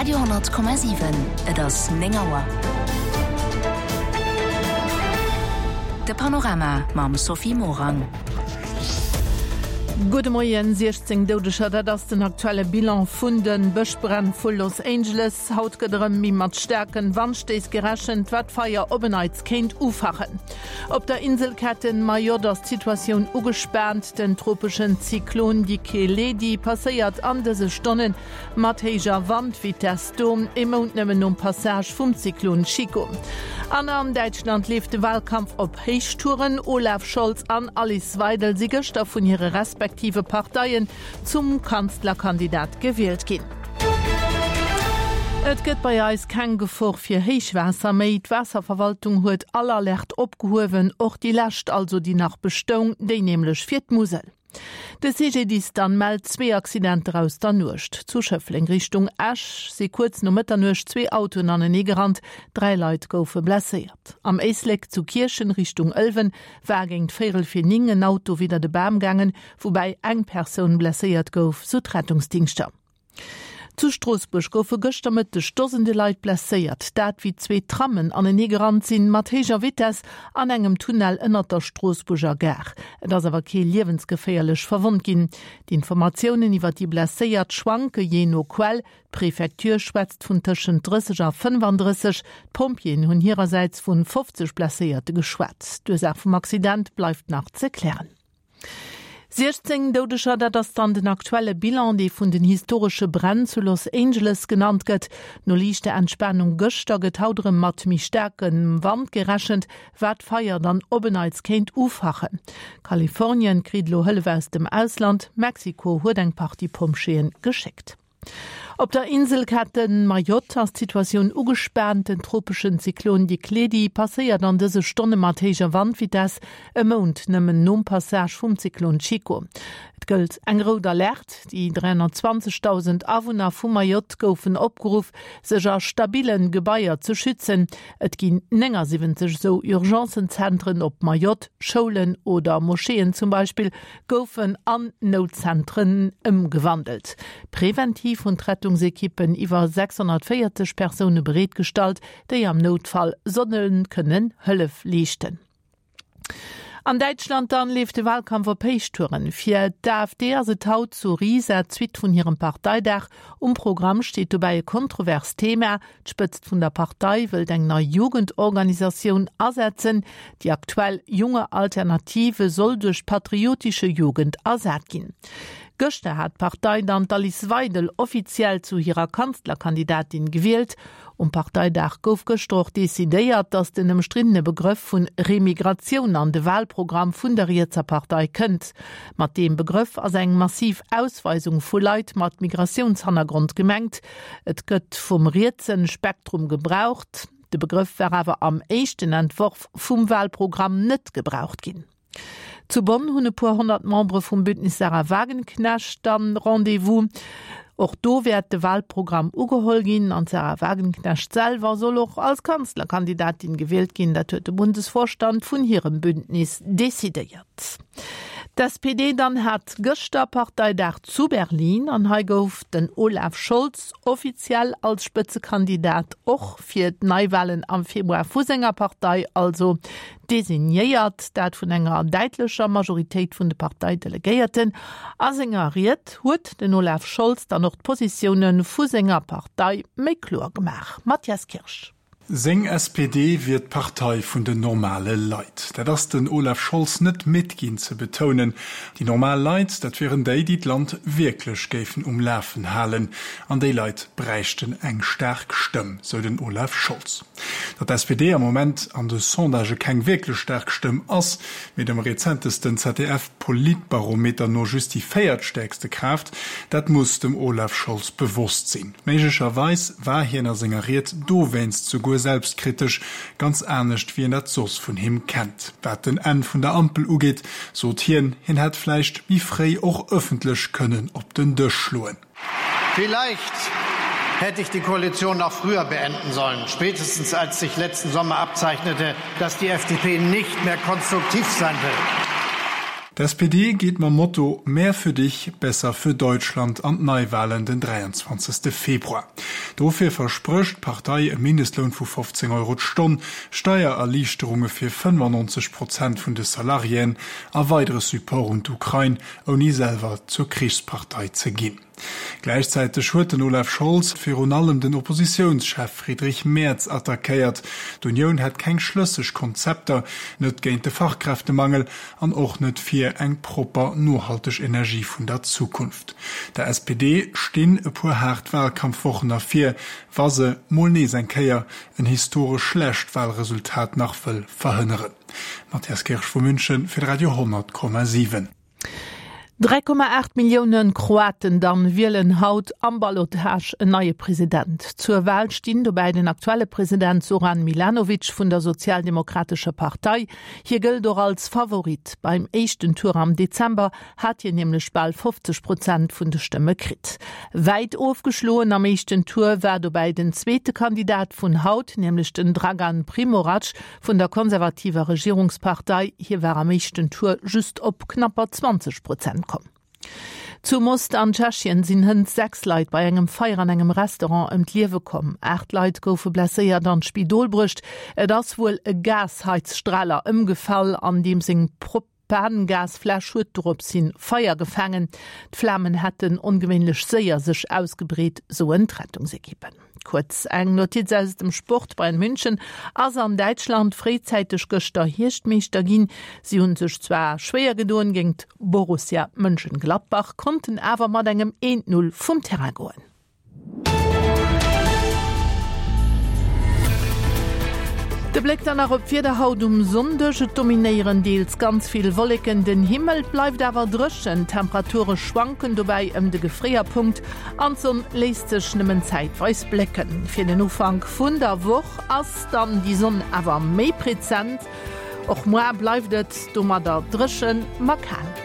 Radio 10,7 Et ass 9 Auer. De Panorama mam Sophie Morang. Gudde Moien, 16 Doudeger, dat ass den aktuelle Bilan vun de Bëschbränn vu Los Angeles. Haut gëtt erëm méi mat staarken Wandstéiss gerechent, wat d'Feier op en Neits kéint ufachen. Op der Inselketten Mayotte ass d'Situatioun ugespaant. Den tropeschen Zyklon Dikeledi passéiert an dëse Stonne mat héijer Wandvitess do, ee Mount nëmmen nom Passage vum Zyklon Chico. An an Däitschland leeft de Walkampf op Héichtouren. Olaf Scholz an Alice Weidel si gëschter vun hire respektive Parteien zum Kanzlerkandidat gewielt ginn. Et gëtt bei eis keng Gefor fir Héichwaasser méi. D'Waasserverwaltung huet all Alerte opgehuewen, och déi lescht, also déi nach bestoung, déi nämlech fir d'Musel. De CGDIS dann mellt zwee Accidenter aus der Nuecht. Zu Schëffleng Richtung Esch si kuerz no Mëtternuecht zwee Autoen anenee gerannt, 3 Leit goufe blesséiert. Am Éislek zu Kierchen Richtung Ëlwen war géint véierel fir 9 en Auto widder de Bam gaangen, woubäi eng Persoun blesséiert gouf, sou d'Rettungsdingschter. Zu Stroossbuerg goufe gëschter Mëtteg Dosende Leit blesséiert, dat wéi zwee Trammen anenee gerannt sinn, mat héijer Vitess an engem Tunnel ënnert der Stroossbuerger Gare. Et ass awer kee liewensgeféierlech verwonnt ginn. D'Informatiounen iwwer déi Blesséiert schwanke jee no Quell, D'Prefecture schwätzt vun tëschent 30 a 35, d'Pompjeeën hunn hirersäits vun 50 Blesséierte geschwat. D'Ursaach vum Accident bleift nach ze klären. 16 Doudeger, dat ass dann den aktuelle Bilan, dee vun den historesche Bränn zu Los Angeles genannt gëtt. No liichter Entspanung gëschter gëtt haut erëm mat méi staarkem Wand gerechent, wat d'Feier dann op en Neits kéint ufachen. Kalifornien kritt elo Hëllef aus dem Ausland, Mexiko huet eng Partie Pompjeeë geschéckt. Op der Inselkette Mayotte ass d'Situatioun ugespaant. Den tropeschen Zyklon Dikledi passéiert an dëse Stonne mat héijer Wandvitess, e Mount nëmmen nom Passage vum Zyklon Chico. Et gëllt eng rout Alerte. Déi 320.000 Awunner vu Mayotte goufen opgeruff, sech a stabille Gebaier ze schützen. Et ginn 79 esou Urgencenzentren op Mayotte, Schoulen oder Moscheeën zum Beispill goufen an Noutzentren ëmgewandelt. Preventiv hunn d'Rettungsekippen iwwer 640 Persoune bereetgestallt, déi am Noutfall solle kënnen Hëllef leeschten. An Däitschland dann leeft de Wahlkampf op Héichtouren. Fir d'AfD ass et haut zu Riesa d'Suite vun hirem Parteidag. Um Programm steet dobäi e kontroverst Thema, D'Spëtzt vun der Partei wëllt eng nei Jugendorganisatioun asetzen. Déi aktuell Junge Alternative soll duerch d'Patriotische Jugend ersat ginn. Gëschter hat d'Partei dann d'Alice Weidel offiziell zu hirer Kanzlerkandidatin gewielt. Um Parteidag gouf gëschter och decidéiert, datt den ëmstriddene Begrëff vun Remigratioun an de Walprogramm vun der rietser Partei kënnt. Mat deem Begrëff ass eng massiv Ausweisung vu Leit mat Migratiounshannergrond gemengt. Et gëtt vum rietsen Spektrum gebraucht. De Begrëff war awer am éischten Entworf vum Wahlprogramm net gebraucht ginn. Zu Bonn hunn e puer 100 Membere vum Bündnis Sarah Wagenknecht dann Rendez-vous. Och do wäert de Wahlprogramm ugeholl ginn an d'Sarah Wagenknecht selwer soll och als Kanzlerkandidatin gewielt ginn. Dat huet de Bundesvorstand vun hirem Bündnis decidéiert. D'SPD dann hat gëschter Parteidag zu Berlin an hei gouf den Olaf Scholz offiziell als Spëtzekandidat och fir d'Neiwahlen am Februar vu senger Partei also designéiert, dat vun enger däitlecher Majoritéit vun de Parteidelegéierten. A senger Ried huet den Olaf Scholz dann och d'Positioune vu senger Partei méi kloer gemaach. Mathias Kirsch. Seng SPD wier d'Partei vun den normale Leit. Dat ass den Olaf Scholz net midd ginn ze betounen. Déi normal Leit, dat wieren déi, déi d'Land wierklech géifen um Lafen halen. An déi Leit bräichten eng staark Stëmm, sou den Olaf Scholz. Datt d'SPD am Moment an de Sondagë keng wierklech staark Stëmm ass, mee dem rezentesten ZDF-Politbarometer no just déi véiertstäerkste Kraaft, dat muss dem Olaf Scholz bewosst sinn. Méiglecherweis war hien a senger Ried dowéinst souguer selbstkritesch, ganz anescht wéi een dat soss vun him kennt. Wat den Enn vun der Ampel ugeet, sot hien, hien hätt vläicht méi fréi och ëffentlech kënnen op den Dësch schloen. Vielleicht hätte ich die Koalition noch früher beenden sollen, spätestens als sich letzten Sommer abzeichnete, dass die FDP nicht mehr konstruktiv sein will. D'SPD geet mam Motto Mehr für dich, besser für Deutschland an d'Neiwalen den 23. Februar. Dofir versprécht d'Partei e Mindestloun vu 15 Euro d'Stonn, Steiererliichterunge fir 95 Prozent vun de Salariéen a weidere Support un d'Ukrain, ouni selwer zur Krichspartei ze ginn. Gläichzäiteg huet den Olaf Scholz virun allem den Oppositiounschef Friedrich Merz attackéiert. D'Unioun hätt keng schlësseg Konzepter, net géint de Fachkräftemangel an och net fir eng propper, nohalteg Energie vun der Zukunft. Der SPD stinn e puer haart Wahlkampfwochen ervir, wa se mol nees eng Kéier en historesch schlecht Wahlresultat nach wëll verhënneren. Matthias Kirsch vu München fir de Radio 10,7. 3,8 Millioune Kroaten dann wielen haut am Ballottage en neie President. Zur Wahl stinn dobäi den aktuelle President Zoran Milanovic vun der Sozialdemokratescher Partei. Hie gëllt och als Favorit. Beim éischten Tour am Dezember hat hien nämlech bal 50 Prozent vun de Stëmme kritt. Wäit ofgeschloen am éischten Tour war dobäi den zweete Kandidat vun haut, nämlech den Dragan Primorac Vun der konservativer Regierungspartei, hie war am éischten Tour just op knapper 20 Prozent komm. Zu Most an Tschechien sinn hënt 6 Leit bei engem Feier an engem Restaurant ëm d'Liewe komm. 8 Leit goufe blesséiert an d'Spidol bruecht. Et ass wuel e Gasheizstraler ëmgefall, an deem seng Propangasfläsch huet dorops hin Feier gefaangen. D'Flamen hätten ongewéinlech séier sech ausgebreet, soen d'Rettungsekippen. Kuerz eng Notiz aus dem Sport, Bayern München ass an Däitschland fréizäiteg gëschter Hierschtmeeschter ginn. Si hunn sech zwar schwéier gedoen géingt Borussia Mönchengladbach, konnten awer mat engem 1, 0 vum Terrain goen. De Bléck dann nach op d'Wieder haut um Sonndeg, Et dominéieren deels ganz vill Wolleken den Himmel, et bleift awer dréchen. D'Temperature schwanken dobäi ëm de Gefréierpunkt an d'Sonn léisst sech nëmmen zäitweis blécken. Fir den Ufank vun der Woch ass dann déi Sonn awer méi prezent. Och muar bleift et domadder dréchen, ma kal.